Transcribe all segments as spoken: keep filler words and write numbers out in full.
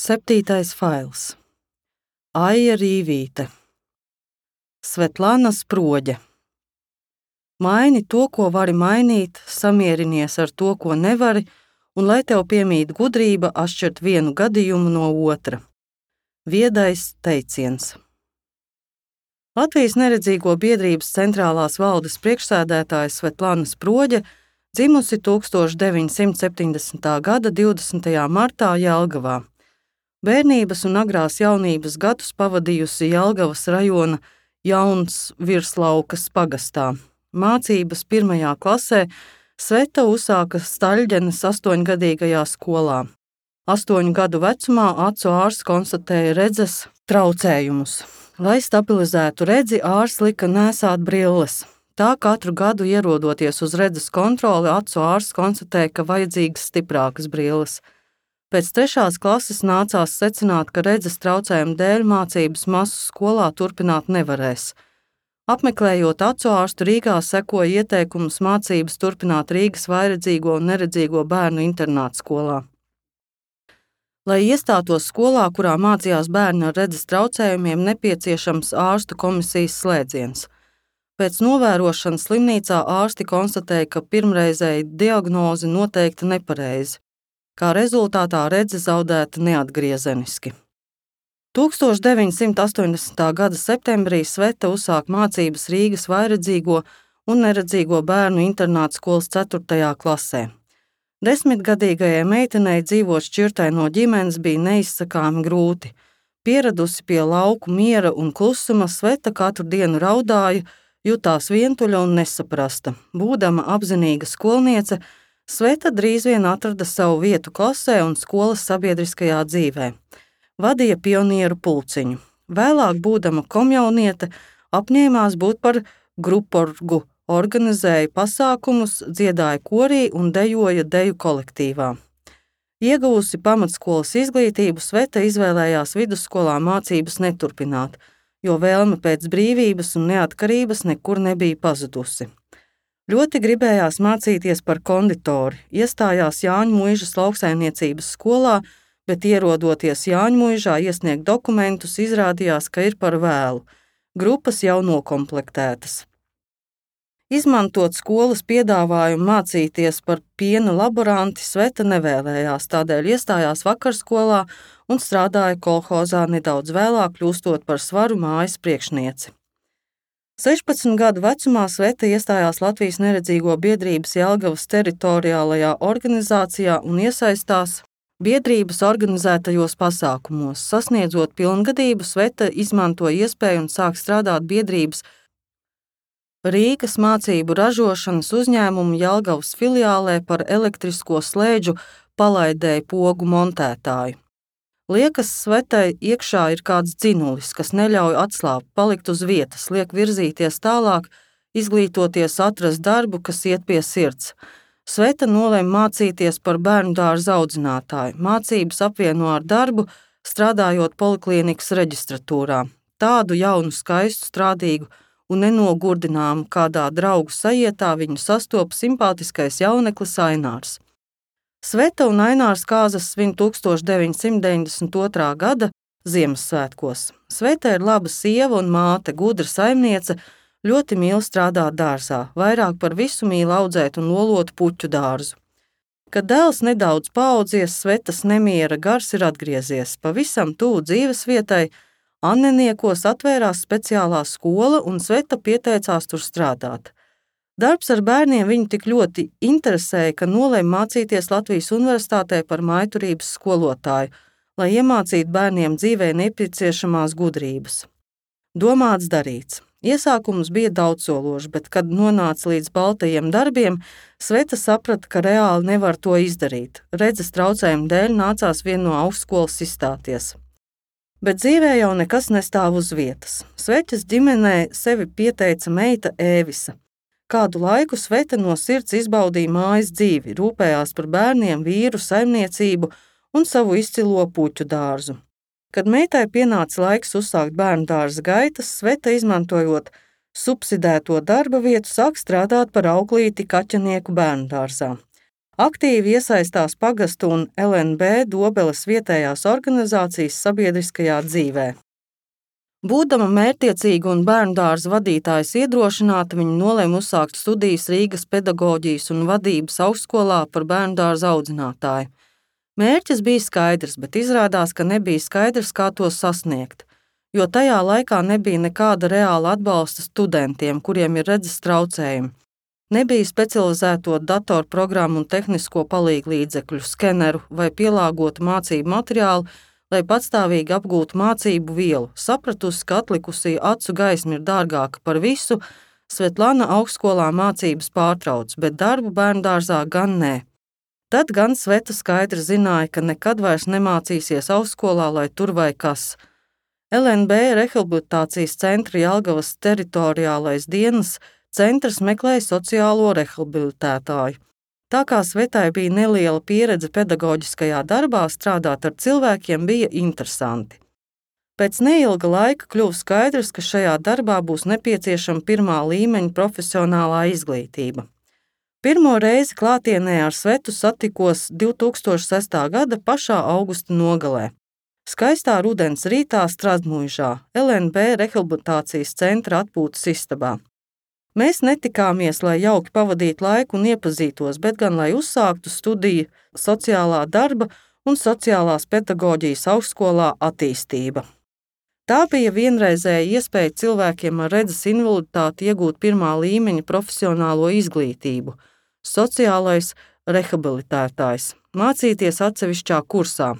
Septītais fails. Aija Rīvīte. Svetlana Sproģe. Maini to, ko vari mainīt, samierinies ar to, ko nevari, un lai tev piemīt gudrība atšķirt vienu gadījumu no otra. Viedais teiciens. Latvijas neredzīgo biedrības centrālās valdes priekšsēdētāja Svetlana Sproģe dzimusi tūkstoš deviņsimt septiņdesmitā gada divdesmitajā martā Jelgavā. Bērnības un agrās jaunības gadus pavadījusi Jelgavas rajona Jauns Virslaukas pagastā. Mācības pirmajā klasē Sveta uzsāka Staļģenes astoņgadīgajā skolā. Astoņu gadu vecumā acu ārsts konstatēja redzes traucējumus. Lai stabilizētu redzi, ārsts lika nēsāt brilles. Tā katru gadu ierodoties uz redzes kontroli, acu ārsts konstatēja, ka vajadzīgas stiprākas brilles. Pēc trešās klases nācās secināt, ka redzes traucējumu dēļ mācības masu skolā turpināt nevarēs. Apmeklējot acu ārstu Rīgā, sekoja ieteikums mācības turpināt Rīgas vājredzīgo un neredzīgo bērnu internāta skolā. Lai iestātos skolā, kurā mācījās bērni ar redzes traucējumiem, nepieciešams ārstu komisijas slēdziens. Pēc novērošanas slimnīcā ārsti konstatēja, ka pirmreizēji diagnoze noteikta nepareizi. Kā rezultātā redze zaudēta neatgriezeniski. tūkstoš deviņsimt astoņdesmitā gada septembrī Sveta uzsāk mācības Rīgas vājredzīgo un neredzīgo bērnu internāta skolas ceturtajā klasē. Desmitgadīgajai meitenei dzīvot šķirtai no ģimenes bija neizsakāmi grūti. Pieradusi pie lauku miera un klusuma, Sveta katru dienu raudāja, jutās vientuļa un nesaprasta. Būdama apzinīga skolniece, Sveta drīz vien atrada savu vietu klasē un skolas sabiedriskajā dzīvē. Vadīja pionieru pulciņu. Vēlāk, būdama komjauniete, apņēmās būt par gruporgu, organizēja pasākumus, dziedāja korī un dejoja deju kolektīvā. Ieguvusi pamatskolas izglītību, Sveta izvēlējās vidusskolā mācības neturpināt, jo vēlme pēc brīvības un neatkarības nekur nebija pazudusi. Ļoti gribējās mācīties par konditori, iestājās Jāņmuižas lauksaimniecības skolā, bet ierodoties Jāņmuižā iesniegt dokumentus, izrādījās, ka ir par vēlu. Grupas jau nokomplektētas. Izmantot skolas piedāvājumu mācīties par piena laboranti Sveta nevēlējās, tādēļ iestājās vakarskolā un strādāja kolhozā nedaudz vēlāk, kļūstot par svaru mājas priekšnieci. sešpadsmit gadu vecumā Sveta iestājās Latvijas neredzīgo biedrības Jelgavas teritoriālajā organizācijā un iesaistās biedrības organizētajos pasākumos. Sasniedzot pilngadību, Sveta izmantoja iespēju un sāk strādāt biedrības Rīgas mācību ražošanas uzņēmumu Jelgavas filiālē par elektrisko slēdžu palaidēju pogu montētāju. Liekas, Svetai iekšā ir kāds dzinulis, kas neļauj atslābt, palikt uz vietas, liek virzīties tālāk, izglītoties, atrast darbu, kas iet pie sirds. Sveta nolēma mācīties par bērnu dārza audzinātāju. Mācības apvieno ar darbu, strādājot poliklīnikas reģistratūrā. Tādu jaunu, skaistu, strādīgu un nenogurdināmu kādā draugu sajietā viņu sastopa simpātiskais jauneklis Ainārs. Sveta un Ainārs kāzas svin tūkstoš deviņsimt deviņdesmit otrā gada Ziemassvētkos. Sveta ir laba sieva un māte, gudra saimniece, ļoti mīl strādāt dārzā, vairāk par visu mīl audzēt un lolot puķu dārzu. Kad dēls nedaudz paaudzies, Svetas nemiera gars ir atgriezies. Pavisam tuvu dzīves vietai Anneniekos atvērās speciālā skola un Sveta pieteicās tur strādāt. Darbs ar bērniem viņu tik ļoti interesēja, ka nolēma mācīties Latvijas universitātē par mājturības skolotāju, lai iemācītu bērniem dzīvē nepieciešamās gudrības. Domāts darīts. Iesākums bija daudzsološs, bet, kad nonāca līdz baltajiem darbiem, Sveta saprata, ka reāli nevar to izdarīt. Redzes traucējumu dēļ nācās vien no augstskolas izstāties. Bet dzīvē jau nekas nestāv uz vietas. Sveķas ģimenē sevi pieteica meita Ēvisa. Kādu laiku Sveta no sirds izbaudīja mājas dzīvi, rūpējās par bērniem, vīru, saimniecību un savu izcilo puķu dārzu. Kad meitai pienāca laiks uzsākt bērnu dārza gaitas, Sveta, izmantojot subsidēto darba vietu, sāk strādāt par auklīti kaķenieku bērnu dārzā. Aktīvi iesaistās pagastu un L N B Dobeles vietējās organizācijas sabiedriskajā dzīvē. Būdama mērķtiecīga un bērndārza vadītājas iedrošināta, viņa nolēma uzsākt studijas Rīgas pedagoģijas un vadības augstskolā par bērndārza audzinātāju. Mērķis bija skaidrs, bet izrādās, ka nebija skaidrs, kā to sasniegt, jo tajā laikā nebija nekāda reāla atbalsta studentiem, kuriem ir redzes traucējumi. Nebija specializēto datorprogrammu un tehnisko palīglīdzekļu, skeneru vai pielāgotu mācību materiālu, lai patstāvīgi apgūtu mācību vielu. Sapratusi, ka atlikusī acu gaisma ir dārgāka par visu, Svetlana augstskolā mācības pārtrauc, bet darbu bērndārzā gan nē. Tad gan Sveta skaidri zināja, ka nekad vairs nemācīsies augstskolā, lai tur vai kas. L N B rehabilitācijas centra Jelgavas teritoriālais dienas centrs meklēja sociālo rehabilitētāju. Tā kā Svetai bija neliela pieredze pedagoģiskajā darbā, strādāt ar cilvēkiem bija interesanti. Pēc neilga laika kļuva skaidrs, ka šajā darbā būs nepieciešama pirmā līmeņa profesionālā izglītība. Pirmo reizi klātienē ar Svetu satikos divi tūkstoši sestā gada pašā augusta nogalē. Skaistā rudens rītā Strazdmuižā, L N B rehabilitācijas centra atpūtas istabā. Mēs netikāmies, lai jauki pavadītu laiku un iepazītos, bet gan lai uzsāktu studiju sociālā darba un sociālās pedagoģijas augstskolā attīstība. Tā bija vienreizēja iespēja cilvēkiem ar redzes invaliditāti iegūt pirmā līmeņa profesionālo izglītību, sociālais rehabilitētājs, mācīties atsevišķā kursā.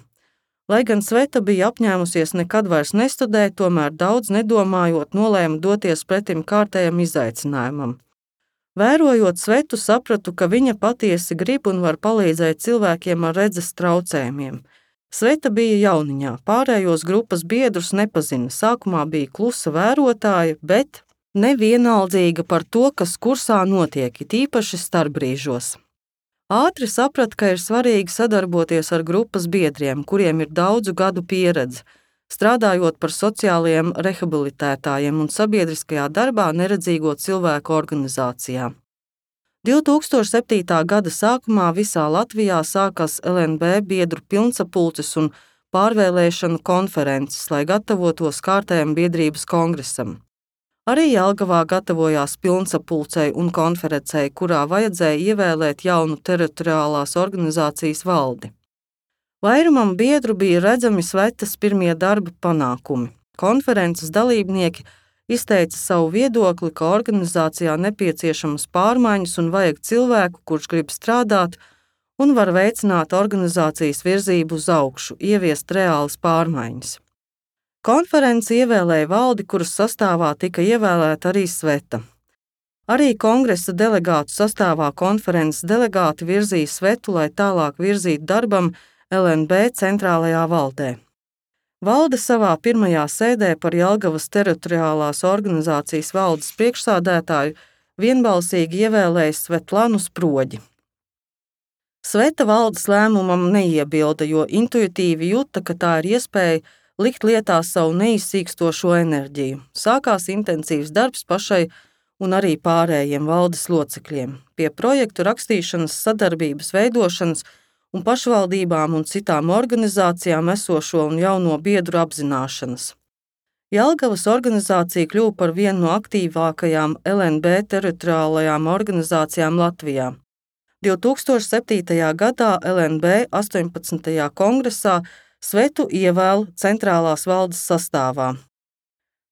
Lai gan Sveta bija apņēmusies nekad vairs nestudēt, tomēr daudz nedomājot nolēma doties pretim kārtējam izaicinājumam. Vērojot Svetu, sapratu, ka viņa patiesi grib un var palīdzēt cilvēkiem ar redzes traucējumiem. Sveta bija jauniņā, pārējos grupas biedrus nepazina, sākumā bija klusa vērotāja, bet nevienaldzīga par to, kas kursā notiek, it īpaši starpbrīžos. Ātri saprata, ka ir svarīgi sadarboties ar grupas biedriem, kuriem ir daudzu gadu pieredze, strādājot par sociālajiem rehabilitētājiem un sabiedriskajā darbā neredzīgo cilvēku organizācijā. divi tūkstoši septītā gada sākumā visā Latvijā sākās L N B biedru pilnsapulces un pārvēlēšanu konferences, lai gatavotos kārtējam biedrības kongresam. Arī Jelgavā gatavojās pilnsapulcei un konferencei, kurā vajadzēja ievēlēt jaunu teritoriālās organizācijas valdi. Vairumam biedru bija redzami Svetas pirmie darba panākumi. Konferences dalībnieki izteica savu viedokli, ka organizācijā nepieciešamas pārmaiņas un vajag cilvēku, kurš grib strādāt un var veicināt organizācijas virzību uz augšu, ieviest reālas pārmaiņas. Konference ievēlēja valdi, kuras sastāvā tika ievēlēta arī Sveta. Arī kongresa delegātu sastāvā konferences delegāti virzīja Svetu, lai tālāk virzītu darbam L N B centrālajā valdē. Valde savā pirmajā sēdē par Jelgavas teritoriālās organizācijas valdes priekšsādētāju vienbalsīgi ievēlēja Svetlanu Sproģi. Sveta valdes lēmumam neiebilda, jo intuitīvi juta, ka tā ir iespēja likt lietā savu neizsīkstošo enerģiju. Sākās intensīvs darbs pašai un arī pārējiem valdes locekļiem pie projektu rakstīšanas, sadarbības veidošanas un pašvaldībām un citām organizācijām esošo un jauno biedru apzināšanas. Jelgavas organizācija kļuva par vienu no aktīvākajām L N B teritoriālajām organizācijām Latvijā. divi tūkstoši septītajā gadā L N B astoņpadsmitajā kongresā Svetu ievēl centrālās valdes sastāvā.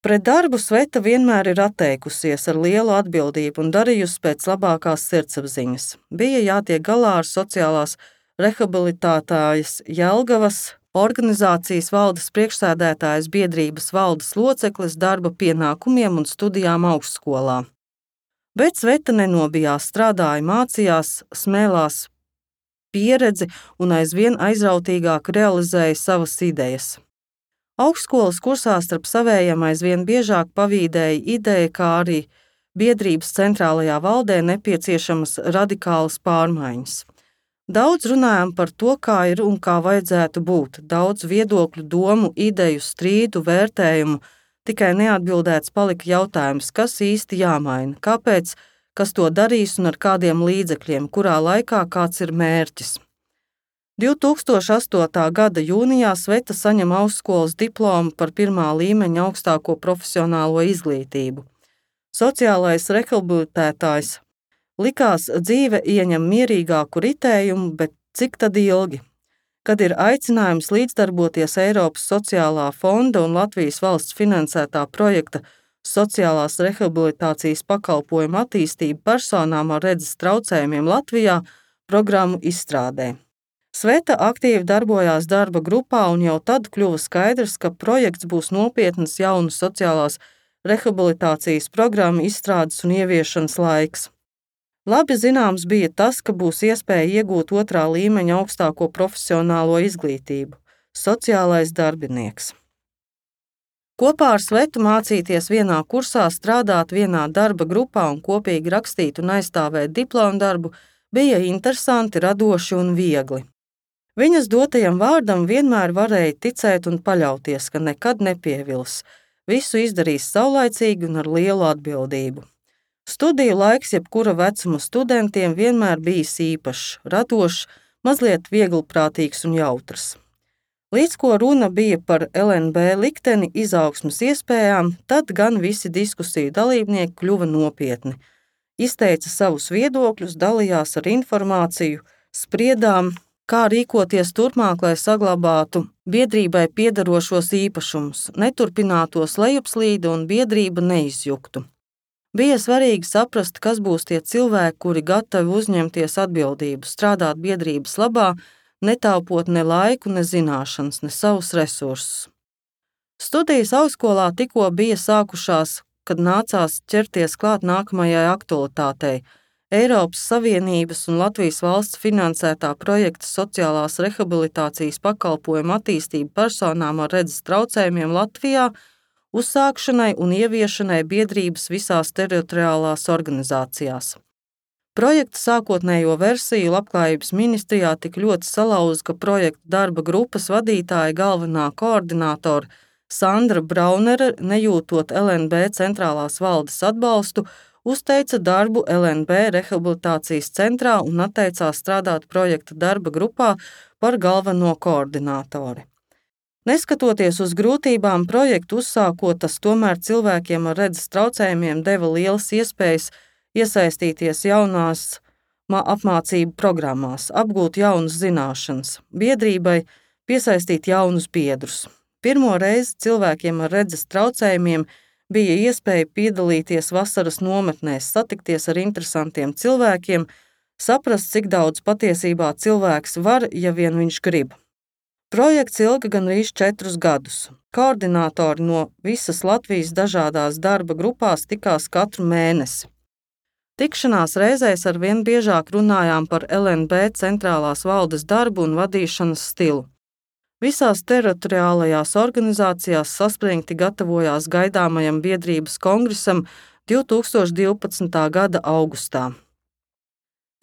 Pret darbu Sveta vienmēr ir atteikusies ar lielu atbildību un darījusi pēc labākās sirdsapziņas. Bija jātiek galā ar sociālās rehabilitētājas Jelgavas organizācijas valdes priekšsēdētājas biedrības valdes locekles darba pienākumiem un studijām augstskolā. Bet Sveta nenobijās, strādāja, mācījās, smēlās pieredzi un aizvien aizrautīgāk realizēja savas idejas. Augstskolas kursā starp savējiem aizvien biežāk pavīdēja ideja, kā arī biedrības centrālajā valdē nepieciešamas radikālas pārmaiņas. Daudz runājām par to, kā ir un kā vajadzētu būt, daudz viedokļu, domu, ideju, strīdu, vērtējumu, tikai neatbildēts palika jautājums, kas īsti jāmaina, kāpēc kas to darīs un ar kādiem līdzekļiem, kurā laikā kāds ir mērķis. divtūkstoš astotā gada jūnijā Sveta saņem augstskolas diplomu par pirmā līmeņa augstāko profesionālo izglītību. Sociālais rehabilitētājs. Likās, dzīve ieņem mierīgāku ritējumu, bet cik tad ilgi? Kad ir aicinājums līdzdarboties Eiropas sociālā fonda un Latvijas valsts finansētā projekta sociālās rehabilitācijas pakalpojumu attīstību personām ar redzes traucējumiem Latvijā programmu izstrādē. Sveta aktīvi darbojās darba grupā un jau tad kļuva skaidrs, ka projekts būs nopietnas jaunu sociālās rehabilitācijas programmu izstrādes un ieviešanas laiks. Labi zināms bija tas, ka būs iespēja iegūt otrā līmeņa augstāko profesionālo izglītību – sociālais darbinieks. Kopā ar Svetu mācīties vienā kursā, strādāt vienā darba grupā un kopīgi rakstīt un aizstāvēt diplomu darbu bija interesanti, radoši un viegli. Viņas dotajam vārdam vienmēr varēja ticēt un paļauties, ka nekad nepievils, visu izdarīs saulaicīgi un ar lielu atbildību. Studiju laiks jebkura vecuma studentiem vienmēr bijis īpašs, radošs, mazliet vieglprātīgs un jautrs. Līdz ko runa bija par L N B likteni izaugsmes iespējām, tad gan visi diskusiju dalībnieki kļuva nopietni. Izteica savus viedokļus, dalījās ar informāciju, spriedām, kā rīkoties turpmāk, lai saglabātu biedrībai piederošos īpašumus, neturpinātos lejupslīde un biedrība neizjuktu. Bija svarīgi saprast, kas būs tie cilvēki, kuri gatavi uzņemties atbildību, strādāt biedrības labā, netaupot ne laiku, ne zināšanas, ne savus resursus. Studijas augstskolā tikko bija sākušās, kad nācās ķerties klāt nākamajai aktualitātei – Eiropas Savienības un Latvijas valsts finansētā projekta sociālās rehabilitācijas pakalpojumu attīstību personām ar redzes traucējumiem Latvijā uzsākšanai un ieviešanai biedrības visās teritoriālās organizācijās. Projekta sākotnējo versiju Labklājības ministrijā tik ļoti salauza, ka projekta darba grupas vadītāja galvenā koordinātora Sandra Braunere, nejūtot L N B centrālās valdes atbalstu, uzteica darbu L N B rehabilitācijas centrā un atteicās strādāt projekta darba grupā par galveno koordinātori. Neskatoties uz grūtībām, projektu uzsākot, tas tomēr cilvēkiem ar redzes traucējumiem deva lielas iespējas iesaistīties jaunās apmācību programmās, apgūt jaunas zināšanas, biedrībai piesaistīt jaunus biedrus. Pirmo reizi cilvēkiem ar redzes traucējumiem bija iespēja piedalīties vasaras nometnēs, satikties ar interesantiem cilvēkiem, saprast, cik daudz patiesībā cilvēks var, ja vien viņš grib. Projekts ilga gandrīz četrus gadus. Koordinātori no visas Latvijas dažādās darba grupās tikās katru mēnesi. Tikšanās reizēs arvien biežāk runājām par L N B centrālās valdes darbu un vadīšanas stilu. Visās teritoriālajās organizācijās saspringti gatavojās gaidāmajam biedrības kongresam divtūkstoš divpadsmitā gada augustā.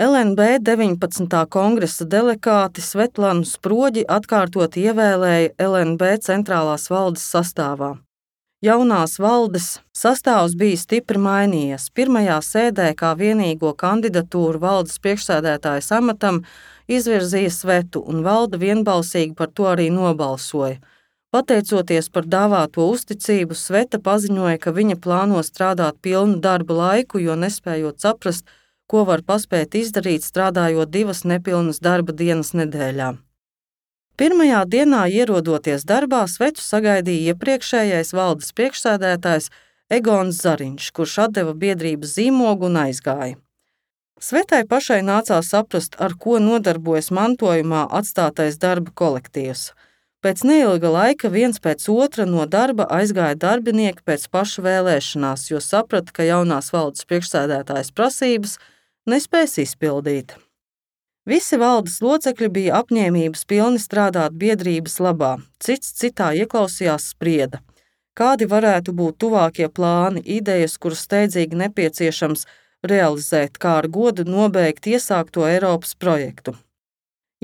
L N B deviņpadsmitā kongresa delegāti Svetlanu Sproģi atkārtot ievēlēja L N B centrālās valdes sastāvā. Jaunās valdes sastāvs bija stipri mainījies. Pirmajā sēdē kā vienīgo kandidatūru valdes priekšsēdētājas amatam izvirzīja Svetu, un valde vienbalsīgi par to arī nobalsoja. Pateicoties par dāvāto uzticību, Sveta paziņoja, ka viņa plāno strādāt pilnu darba laiku, jo nespējot saprast, ko var paspēt izdarīt, strādājot divas nepilnas darba dienas nedēļā. Pirmajā dienā ierodoties darbā, Svetu sagaidīja iepriekšējais valdes priekšsēdētājs Egons Zariņš, kurš atdeva biedrības zīmogu un aizgāja. Svetai pašai nācās saprast, ar ko nodarbojas mantojumā atstātais darba kolektīvs. Pēc neilga laika viens pēc otra no darba aizgāja darbinieki pēc paša vēlēšanās, jo saprata, ka jaunās valdes priekšsēdētājas prasības nespēs izpildīt. Visi valdes locekļi bija apņēmības pilni strādāt biedrības labā, cits citā ieklausījās sprieda. Kādi varētu būt tuvākie plāni, idejas, kuras steidzīgi nepieciešams realizēt, kā ar godu nobeigt iesākto Eiropas projektu.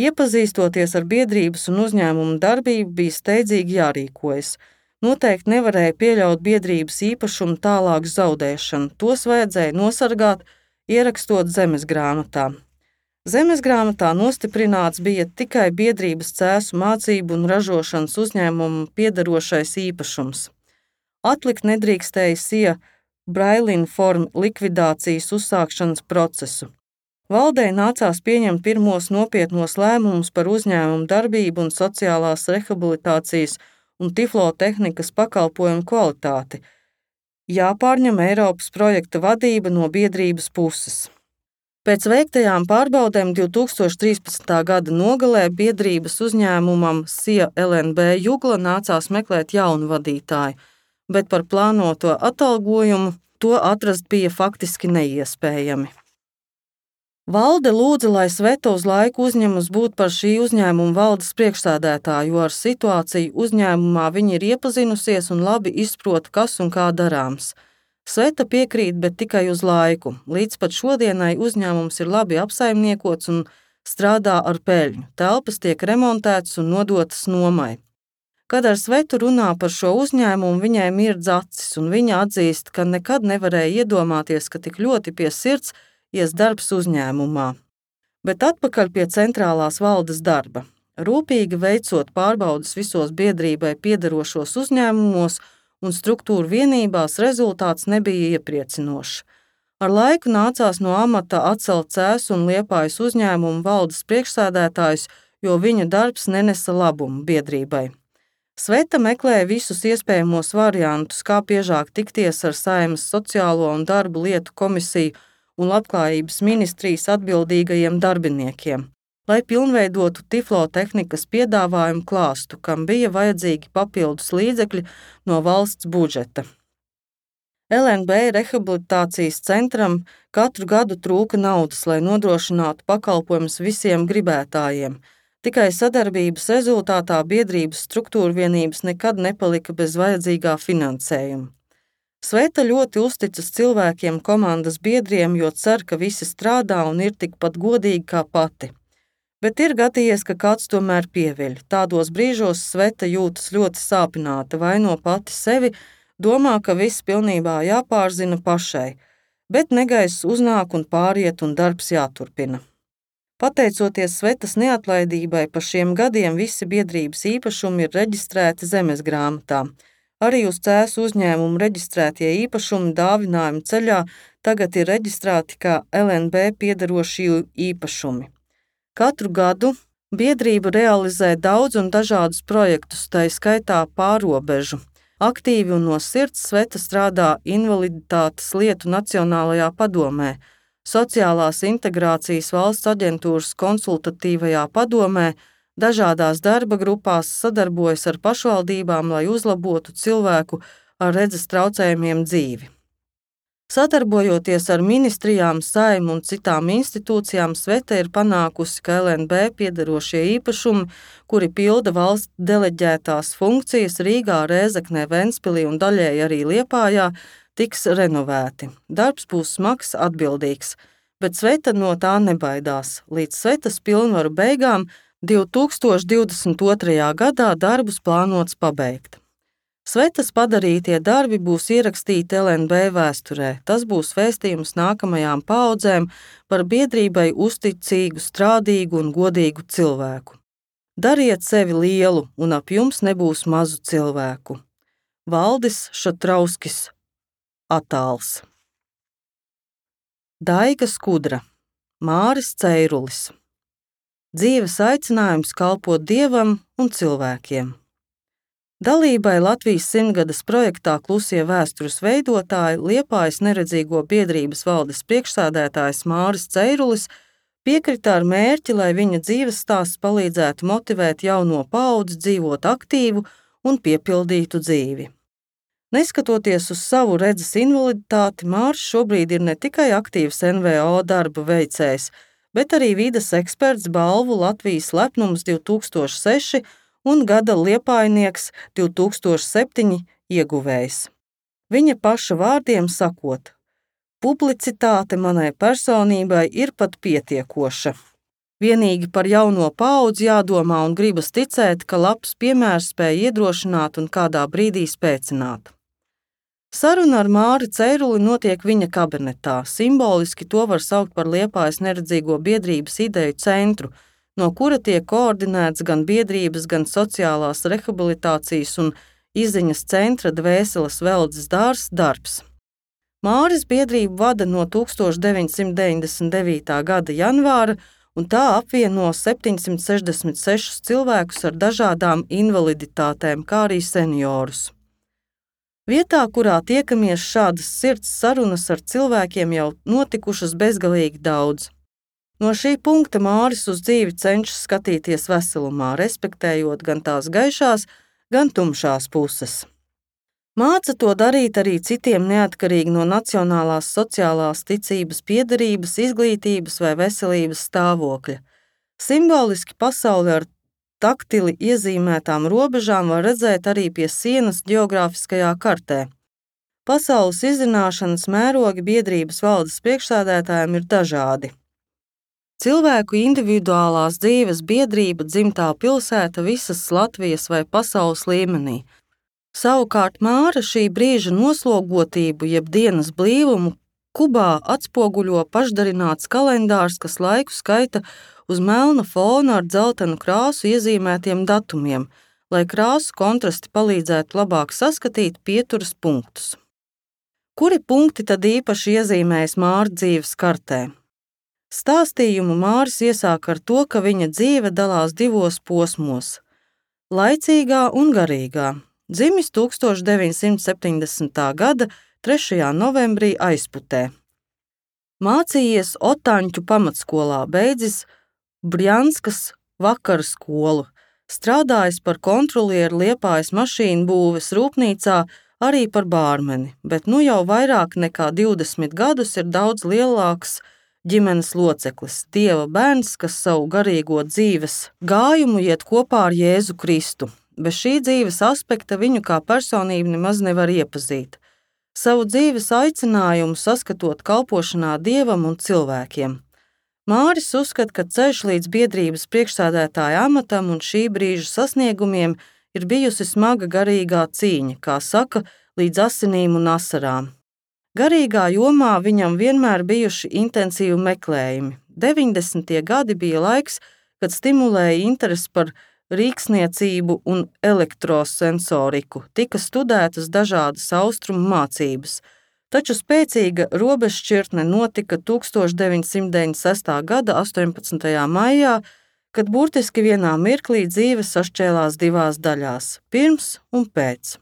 Iepazīstoties ar biedrības un uzņēmumu darbību, bija steidzīgi jārīkojas. Noteikti nevarēja pieļaut biedrības īpašumu tālāku zaudēšanu, tos vajadzēja nosargāt, ierakstot zemesgrāmatā. Zemesgrāmatā nostiprināts bija tikai biedrības cēsu mācību un ražošanas uzņēmumu piederošais īpašums. Atlikt nedrīkstēja Sija Brailinform likvidācijas uzsākšanas procesu. Valdei nācās pieņemt pirmos nopietnos lēmumus par uzņēmumu darbību un sociālās rehabilitācijas un tiflotehnikas pakalpojumu kvalitāti. Jāpārņem Eiropas projekta vadība no biedrības puses. Pēc veiktajām pārbaudēm divtūkstoš trīspadsmitā gada nogalē biedrības uzņēmumam Sija L N B Jugla nācās meklēt jaunu vadītāju, bet par plānoto atalgojumu to atrast bija faktiski neiespējami. Valde lūdza, lai Sveta uz laiku uzņemas būt par šī uzņēmuma valdes priekšsēdētāju, jo ar situāciju uzņēmumā viņa ir iepazinusies un labi izprot, kas un kā darāms. Sveta piekrīt, bet tikai uz laiku. Līdz pat šodienai uzņēmums ir labi apsaimniekots un strādā ar peļņu. Telpas tiek remontētas un nodotas nomai. Kad ar Svetu runā par šo uzņēmumu, viņai mirdz acis, un viņa atzīst, ka nekad nevarēja iedomāties, ka tik ļoti pie sirds ies darbs uzņēmumā. Bet atpakaļ pie centrālās valdes darba. Rūpīgi veicot pārbaudes visos biedrībai piederošos uzņēmumos un struktūru vienībās, rezultāts nebija iepriecinošs. Ar laiku nācās no amata atcelt Cēsu un Liepājas uzņēmumu valdes priekšsēdētājus, jo viņa darbs nenesa labumu biedrībai. Sveta meklēja visus iespējamos variantus, kā biežāk tikties ar Saeimas sociālo un darbu lietu komisiju un labklājības ministrijas atbildīgajiem darbiniekiem, lai pilnveidotu tiflotehnikas piedāvājumu klāstu, kam bija vajadzīgi papildus līdzekļi no valsts budžeta. L N B rehabilitācijas centram katru gadu trūka naudas, lai nodrošinātu pakalpojumus visiem gribētājiem. Tikai sadarbības rezultātā biedrības struktūrvienības nekad nepalika bez vajadzīgā finansējuma. Sveta ļoti uzticas cilvēkiem, komandas biedriem, jo cer, ka visi strādā un ir tikpat godīgi kā pati. Bet ir gadījies, ka kāds tomēr pieviļ. Tādos brīžos Sveta jūtas ļoti sāpināta, vaino pati sevi, domā, ka viss pilnībā jāpārzina pašai, bet negaiss uznāk un pāriet un darbs jāturpina. Pateicoties Svetas neatlaidībai, pa šiem gadiem visi biedrības īpašumi ir reģistrēti zemesgrāmatā. Arī uz Cēsu uzņēmumu reģistrētie īpašumi dāvinājuma ceļā tagad ir reģistrēti kā L N B piederošie īpašumi. Katru gadu biedrība realizē daudz un dažādus projektus, tai skaitā pārobežu. Aktīvi un no sirds Sveta strādā invaliditātes lietu Nacionālajā padomē, sociālās integrācijas valsts aģentūras konsultatīvajā padomē, dažādās darba grupās, sadarbojas ar pašvaldībām, lai uzlabotu cilvēku ar redzes traucējumiem dzīvi. Sadarbojoties ar ministrijām, Saeimu un citām institūcijām, Sveta ir panākusi, ka L N B piederošie īpašumi, kuri pilda valsts deleģētās funkcijas Rīgā, Rēzeknē, Ventspilī un daļēji arī Liepājā, tiks renovēti. Darbs būs smags, atbildīgs, bet Sveta no tā nebaidās. Līdz Svetas pilnvaru beigām divtūkstoš divdesmit otrajā gadā darbus plānots pabeigt. Svetas padarītie darbi būs ierakstīti L N B vēsturē. Tas būs vēstījums nākamajām paaudzēm par biedrībai uzticīgu, strādīgu un godīgu cilvēku. Dariet sevi lielu, un ap jums nebūs mazu cilvēku. Valdis Šatrauskis, attāls. Daiga Skudra, Māris Ceirulis. Dzīves aicinājums kalpot Dievam un cilvēkiem. Dalībai Latvijas simtgades projektā Klusie vēstures veidotāji Liepājas neredzīgo biedrības valdes priekšsēdētājs Māris Ceirulis piekrita ar mērķi, lai viņa dzīves stāsts palīdzētu motivēt jauno paudzi dzīvot aktīvu un piepildītu dzīvi. Neskatoties uz savu redzes invaliditāti, Māris šobrīd ir ne tikai aktīvs N V O darba veicējs, bet arī vides eksperts balvu Latvijas lepnums divtūkstoš seši un gada liepājnieks divtūkstoš septiņi ieguvējs. Viņa paša vārdiem sakot, publicitāte manai personībai ir pat pietiekoša. Vienīgi par jauno paudzi jādomā un gribas ticēt, ka labs piemērs spēj iedrošināt un kādā brīdī spēcināt. Saruna ar Māri Ceiruli notiek viņa kabinetā. Simboliski to var saukt par Liepājas neredzīgo biedrības ideju centru, no kura tiek koordinēts gan biedrības, gan sociālās rehabilitācijas un izziņas centra Dvēseles veldzes dārzs darbs. Māris biedrību vada no tūkstoš deviņsimt deviņdesmit devītā gada janvāra, un tā apvieno septiņsimt sešdesmit sešus cilvēkus ar dažādām invaliditātēm, kā arī seniorus. Vietā, kurā tiekamies, šādas sirds sarunas ar cilvēkiem jau notikušas bezgalīgi daudz. No šī punkta Māris uz dzīvi cenšas skatīties veselumā, respektējot gan tās gaišās, gan tumšās puses. Māca to darīt arī citiem neatkarīgi no nacionālās sociālās ticības piederības, izglītības vai veselības stāvokļa. Simboliski pasauli ar taktili iezīmētām robežām var redzēt arī pie sienas ģeogrāfiskajā kartē. Pasaules izzināšanas mērogi biedrības valdes priekšsēdētājiem ir dažādi. Cilvēku individuālās dzīves biedrība, dzimtā pilsēta visas Latvijas vai pasaules līmenī. Savukārt Māra šī brīža noslogotību, jeb dienas blīvumu, Kubā atspoguļo pašdarināts kalendārs, kas laiku skaita uz melna fona ar dzeltenu krāsu iezīmētiem datumiem, lai krāsu kontrasti palīdzētu labāk saskatīt pieturas punktus. Kuri punkti tad īpaši iezīmējas Māra dzīves kartē? Stāstījumu Māris iesāk ar to, ka viņa dzīve dalās divos posmos – laicīgā un garīgā. Dzimis tūkstoš deviņsimt septiņdesmitā gada trešajā novembrī Aizputē. Mācījies Otaņķu pamatskolā, beidzis Brjanskas vakaru skolu, strādājis par kontrolieru Liepājas mašīnu būves rūpnīcā, arī par bārmeni, bet nu jau vairāk nekā divdesmit gadus ir daudz lielāks ģimenes loceklis, Dieva bērns, kas savu garīgo dzīves gājumu iet kopā ar Jēzu Kristu. Bez šī dzīves aspekta viņu kā personību nemaz nevar iepazīt. Savu dzīves aicinājumu saskatot kalpošanā Dievam un cilvēkiem. Māris uzskata, ka ceļš līdz biedrības priekšsēdētāja amatam un šī brīža sasniegumiem ir bijusi smaga garīgā cīņa, kā saka, līdz asinīm un asarām. Garīgā jomā viņam vienmēr bijuši intensīvi meklējumi. deviņdesmitie gadi bija laiks, kad stimulēja interesi par rīksniecību un elektrosensoriku, tika studētas dažādas austrumu mācības, taču spēcīga robežšķirtne notika tūkstoš deviņsimt deviņdesmit sestā gada astoņpadsmitajā maijā, kad burtiski vienā mirklī dzīve sašķēlās divās daļās – pirms un pēc.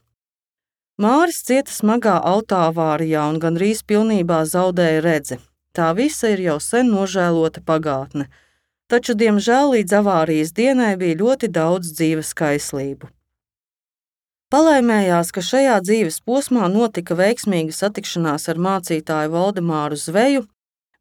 Māris cieta smagā autoavārijā un gandrīz pilnībā zaudēja redzi. Tā visa ir jau sen nožēlota pagātne. Taču, diemžēl, līdz avārijas dienai bija ļoti daudz dzīves kaislību. Palaimējās, ka šajā dzīves posmā notika veiksmīga satikšanās ar mācītāju Valdemāru Zveju.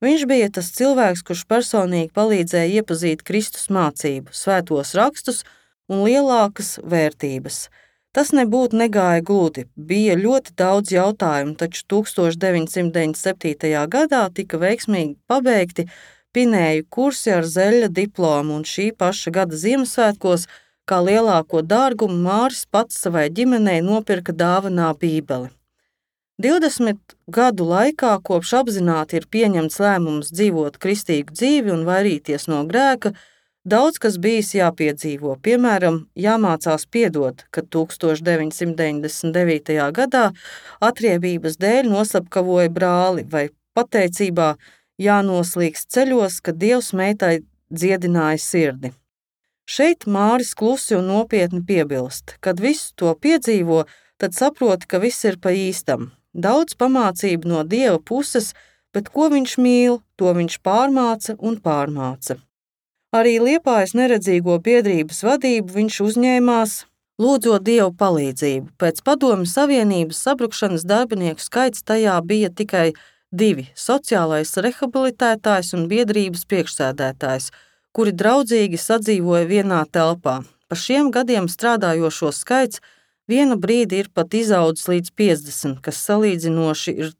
Viņš bija tas cilvēks, kurš personīgi palīdzēja iepazīt Kristus mācību, svētos rakstus un lielākas vērtības. Tas nebūtu negāja gludi, bija ļoti daudz jautājumu, taču tūkstoš deviņsimt deviņdesmit septītajā gadā tika veiksmīgi pabeigti pinēju kursi ar zeļa diplomu, un šī paša gada Ziemassvētkos, kā lielāko dārgumu, Māris pats savai ģimenei nopirka dāvanā Bībeli. divdesmit gadu laikā, kopš apzināti ir pieņemts lēmums dzīvot kristīgu dzīvi un vairīties no grēka, daudz kas bijis jāpiedzīvo, piemēram, jāmācās piedot, kad tūkstoš deviņsimt deviņdesmit devītajā gadā atriebības dēļ noslapkavoja brāli vai pateicībā jānoslīgst ceļos, kad Dievs meitai dziedināja sirdi. Šeit Māris klusi un nopietni piebilst, kad visu to piedzīvo, tad saproti, ka viss ir pa īstam. Daudz pamācību no Dieva puses, bet ko viņš mīl, to viņš pārmāca un pārmāca. Arī Liepājas neredzīgo biedrības vadību viņš uzņēmās, lūdzot Dievu palīdzību. Pēc Padomju Savienības sabrukšanas darbinieku skaits tajā bija tikai divi – sociālais rehabilitētājs un biedrības priekšsēdētājs, kuri draudzīgi sadzīvoja vienā telpā. Pa šiem gadiem strādājošo skaits vienu brīdi ir pat izaudzis līdz piecdesmit, kas salīdzinoši ir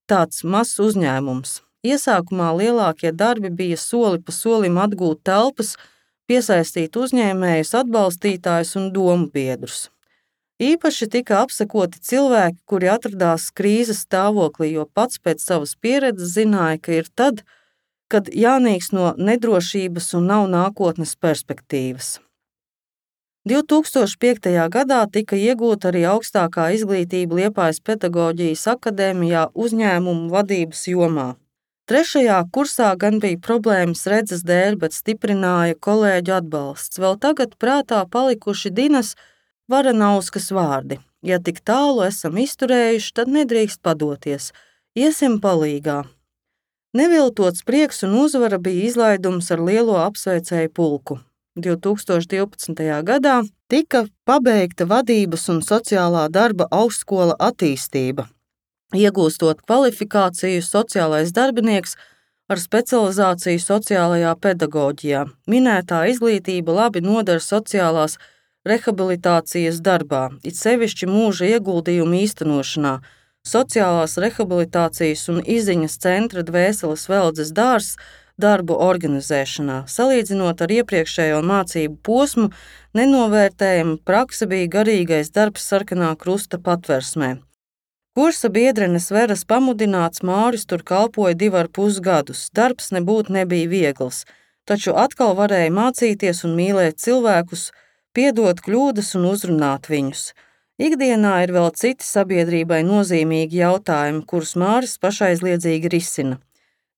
tāds mazs uzņēmums. Iesākumā lielākie darbi bija soli pa solim atgūt telpas, piesaistīt uzņēmējus, atbalstītājus un domu biedrus. Īpaši tika apsekoti cilvēki, kuri atradās krīzes stāvoklī, jo pats pēc savas pieredzes zināja, ka ir tad, kad jānīkst no nedrošības un nav nākotnes perspektīvas. divtūkstoš piektajā gadā tika iegūta arī augstākā izglītība Liepājas pedagoģijas akadēmijā uzņēmumu vadības jomā. Trešajā kursā gan bija problēmas redzes dēļ, bet stiprināja kolēģu atbalsts. Vēl tagad prātā palikuši Dinas Varanauskas vārdi: ja tik tālu esam izturējuši, tad nedrīkst padoties, iesim palīgā. Neviltots prieks un uzvara bija izlaidums ar lielo apsveicēju pulku. divtūkstoš divpadsmitajā gadā tika pabeigta vadības un sociālā darba augstskola attīstība, iegūstot kvalifikāciju sociālais darbinieks ar specializāciju sociālajā pedagoģijā. Minētā izglītība labi noder sociālās rehabilitācijas darbā, it sevišķi mūža ieguldījumu īstenošanā, sociālās rehabilitācijas un izziņas centra Dvēseles veldzes dārzs darbu organizēšanā. Salīdzinot ar iepriekšējo mācību posmu, nenovērtējama prakse bija garīgais darbs Sarkanā krusta patversmē. Kursa biedrenes Veras pamudināts Māris tur kalpoja divi ar pus gadus. Darbs nebūtu nebija viegls, taču atkal varēja mācīties un mīlēt cilvēkus, piedot kļūdas un uzrunāt viņus. Ikdienā ir vēl citi sabiedrībai nozīmīgi jautājumi, kurus Māris pašaizliedzīgi risina.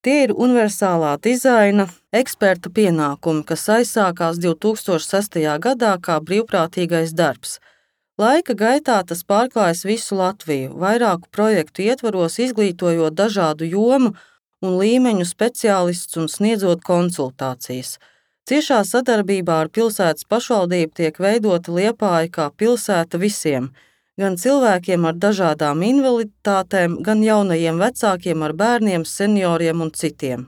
Tie ir universālā dizaina eksperta pienākumi, kas aizsākās divtūkstoš sestajā gadā kā brīvprātīgais darbs. Laika gaitā tas pārklājas visu Latviju, vairāku projektu ietvaros izglītojot dažādu jomu un līmeņu speciālistus un sniedzot konsultācijas. Ciešā sadarbībā ar pilsētas pašvaldību tiek veidota Liepāja kā pilsēta visiem, gan cilvēkiem ar dažādām invaliditātēm, gan jaunajiem vecākiem ar bērniem, senioriem un citiem.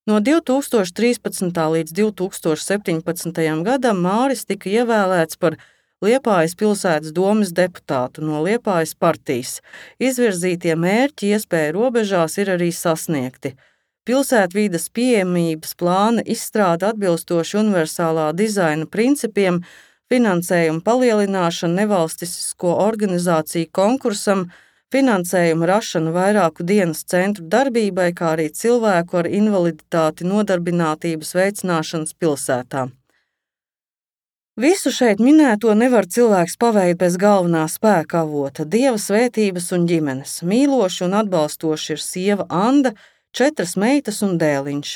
No divtūkstoš trīspadsmitā līdz divtūkstoš septiņpadsmitajam gadam Māris tika ievēlēts par Liepājas pilsētas domes deputātu no Liepājas partijas. Izvirzītie mērķi iespēju robežās ir arī sasniegti. Pilsētvides pieejamības plāna izstrāde atbilstoši universālā dizaina principiem, finansējuma palielināšana nevalstisko organizāciju konkursam, finansējuma rašana vairāku dienas centru darbībai, kā arī cilvēku ar invaliditāti nodarbinātības veicināšanas pilsētā. Visu šeit minēto nevar cilvēks paveikt bez galvenā spēka avota, Dieva svētības un ģimenes. Mīloši un atbalstoši ir sieva Anda, četras meitas un dēliņš.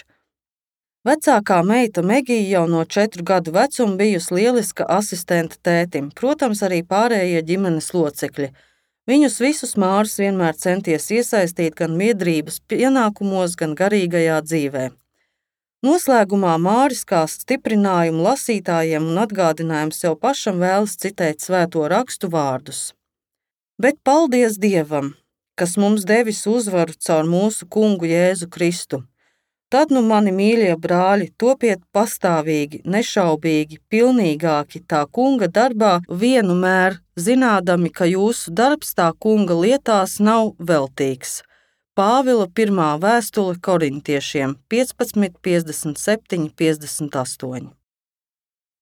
Vecākā meita Megija jau no četru gadu vecuma bijusi lieliska asistente tētim, protams, arī pārējie ģimenes locekļi. Viņus visus Māris vienmēr centies iesaistīt gan biedrības pienākumos, gan garīgajā dzīvē. Noslēgumā Māris kā stiprinājumu lasītājiem un atgādinājumu sev pašam vēlas citēt svēto rakstu vārdus. Bet paldies Dievam, kas mums devis uzvaru caur mūsu kungu Jēzu Kristu. Tad nu mani mīļie brāļi, topiet pastāvīgi, nešaubīgi, pilnīgāki tā kunga darbā vienmēr, zinādami, ka jūsu darbs tā kunga lietās nav veltīgs. Pāvila pirmā vēstule korintiešiem piecpadsmit, piecdesmit septiņi, piecdesmit astoņi.